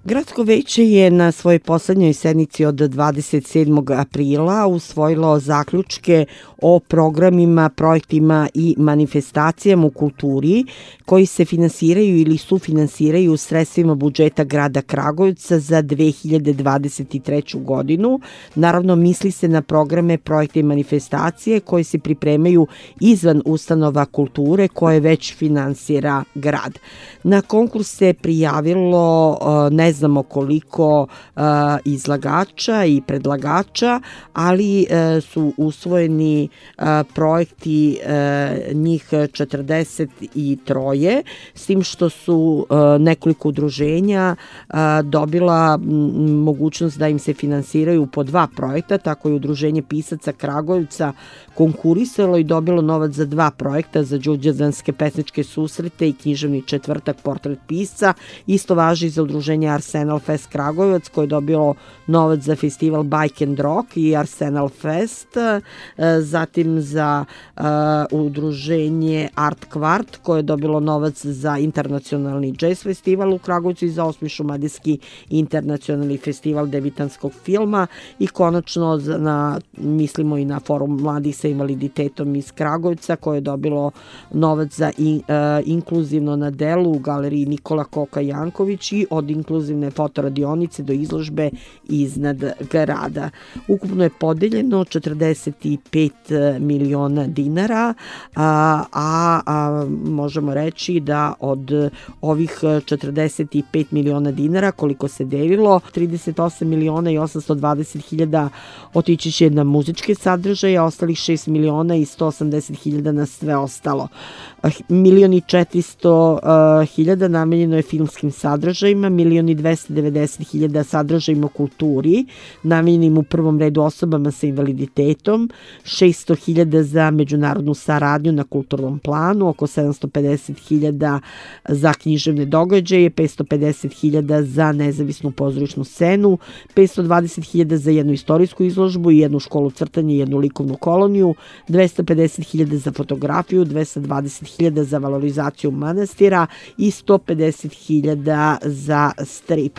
Gradsko veće je na svojoj poslednjoj sednici od 27. aprila usvojilo zaključke o programima, projektima i manifestacijama u kulturi koji se finansiraju ili sufinansiraju sredstvima budžeta grada Kragujevca za 2023. godinu. Naravno, misli se na programe, projekte i manifestacije koji se pripremaju izvan ustanova kulture koje već finansira grad. Na konkurs se prijavilo ne znamo koliko izlagača i predlagača, ali su usvojeni projekti njih 43, s tim što su nekoliko udruženja dobila mogućnost da im se finansiraju po 2 projekta, tako je Udruženje pisaca Kragujevca konkurisalo i dobilo novac za 2 projekta, za đurđevdanske pesničke susrete i književni četvrtak Portret pisca. Isto važi za Udruženje Arsenal Fest Kragujevac koje je dobilo novac za festival Bike and Rock i Arsenal Fest, zatim za Udruženje Art Kvart koje je dobilo novac za internacionalni jazz festival u Kragujevcu i za 8. šumadijski internacionalni festival debitanskog filma i konačno mislimo i na Forum mladih sa invaliditetom iz Kragujevca koje je dobilo novac za inkluzivno na delu u galeriji Nikola Koka Janković i od inkluzivne fotoradionice do izložbe iznad grada. Ukupno je podeljeno 45 miliona dinara, a možemo reći da od ovih 45 miliona dinara koliko se delilo, 38 miliona i 820 hiljada otići će na muzičke sadržaje, a ostalih 6 miliona i 180 hiljada na sve ostalo. 1.400.000 namenjeno je filmskim sadržajima, 1.290.000 sadržajima u kulturi, namenjenim u prvom redu osobama sa invaliditetom, 600.000 za međunarodnu saradnju na kulturnom planu, oko 750.000 za književne događaje, 550.000 za nezavisnu pozorišnu scenu, 520.000 za jednu istorijsku izložbu i jednu školu crtanja i jednu likovnu koloniju, 250.000 za fotografiju, 220.000 za valorizaciju manastira i 150.000 za strip.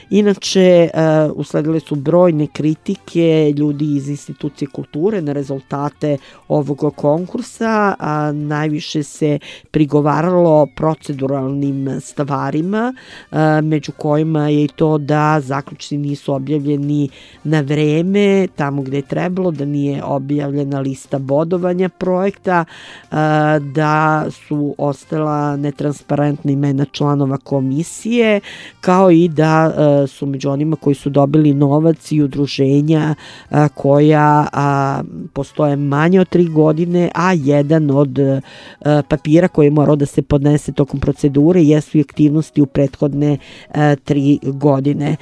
Inače, usledile su brojne kritike ljudi iz institucije kulture na rezultate ovog konkursa, a najviše se prigovaralo proceduralnim stvarima, među kojima je i to da zaključci nisu objavljeni na vreme, tamo gde je trebalo, da nije objavljena lista bodovanja projekta, da su ostala netransparentna imena članova komisije, kao i da su među onima koji su dobili novac i udruženja koja postoje manje od 3 godine, a jedan od papira koji je morao da se podnese tokom procedure jesu i aktivnosti u prethodne 3 godine.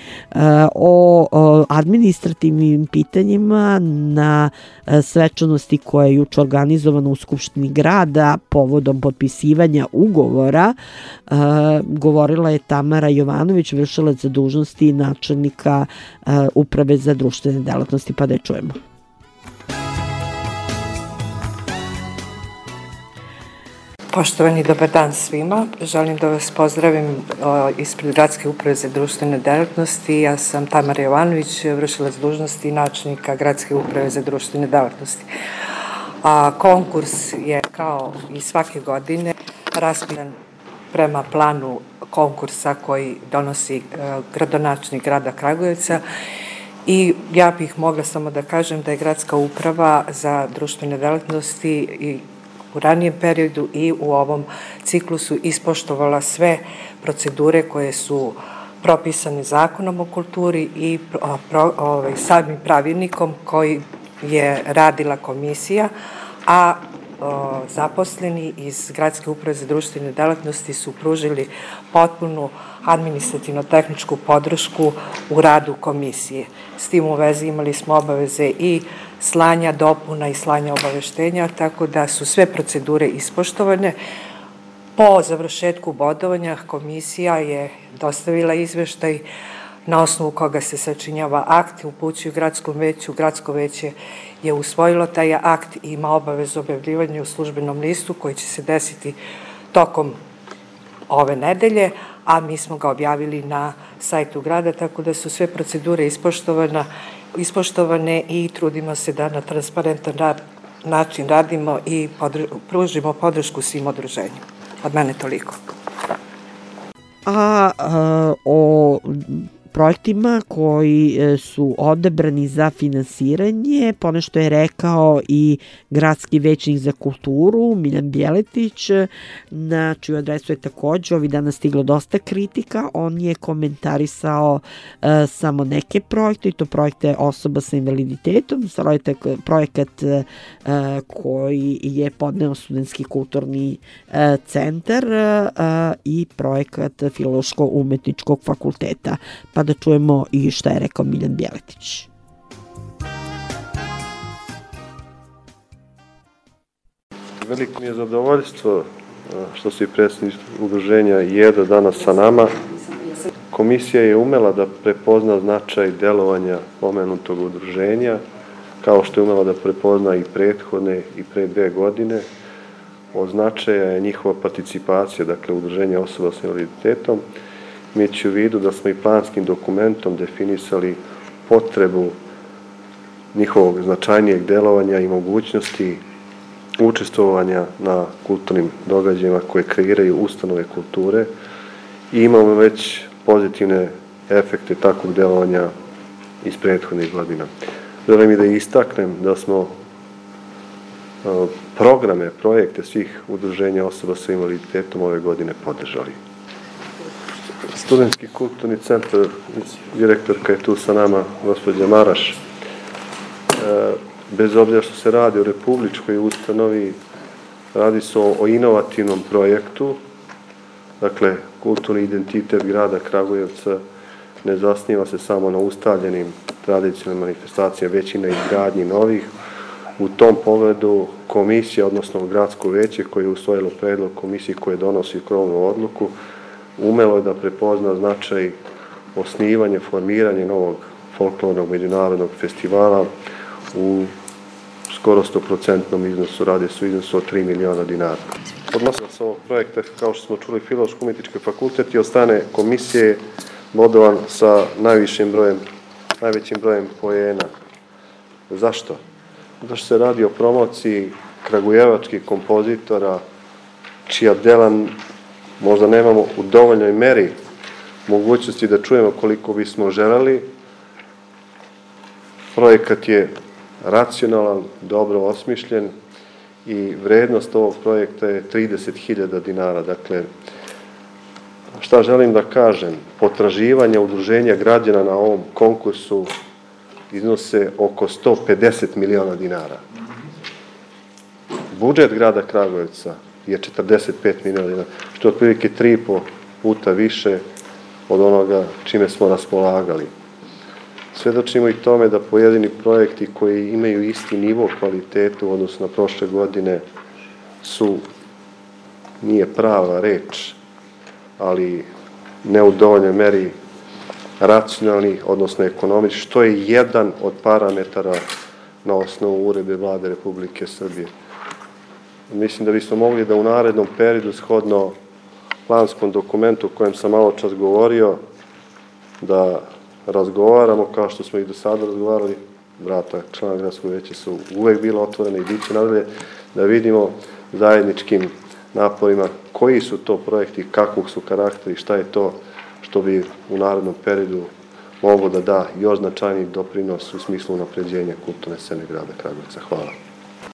O administrativnim pitanjima na svečanosti koja je juče organizovana u Skupštini grada povodom potpisivanja ugovora govorila je Tamara Jovanović, vršilac za dužnosti načelnika Uprave za društvene delatnosti, pa da je čujemo. Poštovani, dobar dan svima. Želim da vas pozdravim ispred Gradske uprave za društvene delatnosti. Ja sam Tamara Jovanović, vršilac dužnosti načelnika Gradske uprave za društvene delatnosti. Konkurs je kao i svake godine raspisan prema planu konkursa koji donosi gradonačelnik grada Kragujevca i ja bih mogla samo da kažem da je Gradska uprava za društvene delatnosti i u ranijem periodu i u ovom ciklusu ispoštovala sve procedure koje su propisane Zakonom o kulturi i samim pravilnikom koji je radila komisija, a zaposleni iz Gradske uprave za društvene delatnosti su pružili potpunu administrativno-tehničku podršku u radu komisije. S tim u vezi imali smo obaveze i slanja dopuna i slanja obaveštenja, tako da su sve procedure ispoštovane. Po završetku bodovanja komisija je dostavila izveštaj na osnovu koga se sačinjava akt, upućuju gradskom veću, gradsko veće je usvojilo taj akt i ima obavezu objavljivanja u službenom listu koji će se desiti tokom ove nedelje, a mi smo ga objavili na sajtu grada, tako da su sve procedure ispoštovane i trudimo se da na transparentan način radimo i pružimo podršku svim udruženjima. Od mene toliko. O projektima koji su odabrani za finansiranje, ponešto je rekao i gradski većnik za kulturu Miljan Bjeletić, na čiju adresu je takođe ovih dana stiglo dosta kritika. On je komentarisao samo neke projekte, i to projekte osoba sa invaliditetom, projekat koji je podneo Studentski kulturni centar i projekat Filološko-umetničkog fakulteta. Pa da čujemo i šta je rekao Miljan Bjeletić. Veliko mi je zadovoljstvo što se i predsjednik udruženja JEDA danas sa nama. Komisija je umela da prepozna značaj delovanja pomenutog udruženja, kao što je umela da prepozna i prethodne i pre 2 godine. Od značaja je njihova participacija, dakle udruženja osoba sa invaliditetom, imajući u vidu da smo i planskim dokumentom definisali potrebu njihovog značajnijeg delovanja i mogućnosti učestvovanja na kulturnim događajima koje kreiraju ustanove kulture i imamo već pozitivne efekte takvog delovanja iz prethodnih godina. Želim i da istaknem da smo projekte svih udruženja osoba sa invaliditetom ove godine podržali. Studentski kulturni centar, direktorka je tu sa nama, gospođa Maraš. Bez obzira što se radi o republičkoj ustanovi, radi se o inovativnom projektu. Dakle, kulturni identitet grada Kragujevca ne zasniva se samo na ustaljenim tradicionalnim manifestacijama, već i na izgradnji novih. U tom pogledu komisija, odnosno gradsko veće koje je usvojilo predlog komisije koje donosi krovnu odluku, umelo je da prepozna značaj osnivanja, formiranja novog folklornog međunarodnog festivala u skoro 100% iznosu, radi se o iznosu od 3 miliona dinara. Podnosilac ovog projekta, kao što smo čuli, Filološko-umetnički fakultet, je od strane komisije bodovan sa najvećim brojem poena. Zašto? Zato što se radi o promociji kragujevačkih kompozitora, čija dela možda nemamo u dovoljnoj meri mogućnosti da čujemo koliko bismo želeli. Projekat je racionalan, dobro osmišljen i vrednost ovog projekta je 30.000 dinara. Dakle, šta želim da kažem? Potraživanja udruženja građana na ovom konkursu iznose oko 150 miliona dinara. Budžet grada Kragujevca je 45 miliona dinara, što je otprilike 3,5 puta više od onoga čime smo raspolagali. Svedočimo i tome da pojedini projekti koji imaju isti nivo kvaliteta u odnosu na prošle godine nije prava reč, ali ne u dovoljnoj meri racionalni, odnosno ekonomični, što je jedan od parametara na osnovu uredbe Vlade Republike Srbije. Mislim da bismo mogli da u narednom periodu, shodno planskom dokumentu o kojem sam malo čas govorio, da razgovaramo kao što smo i do sada razgovarali. Vrata člana gradskog veća su uvek bila otvorena i bit će nadalje, da vidimo zajedničkim naporima koji su to projekti, kakvog su karakteri, šta je to što bi u narednom periodu moglo da da još značajniji doprinos u smislu unapređenja kulturne scene grada Kragujevca. Hvala.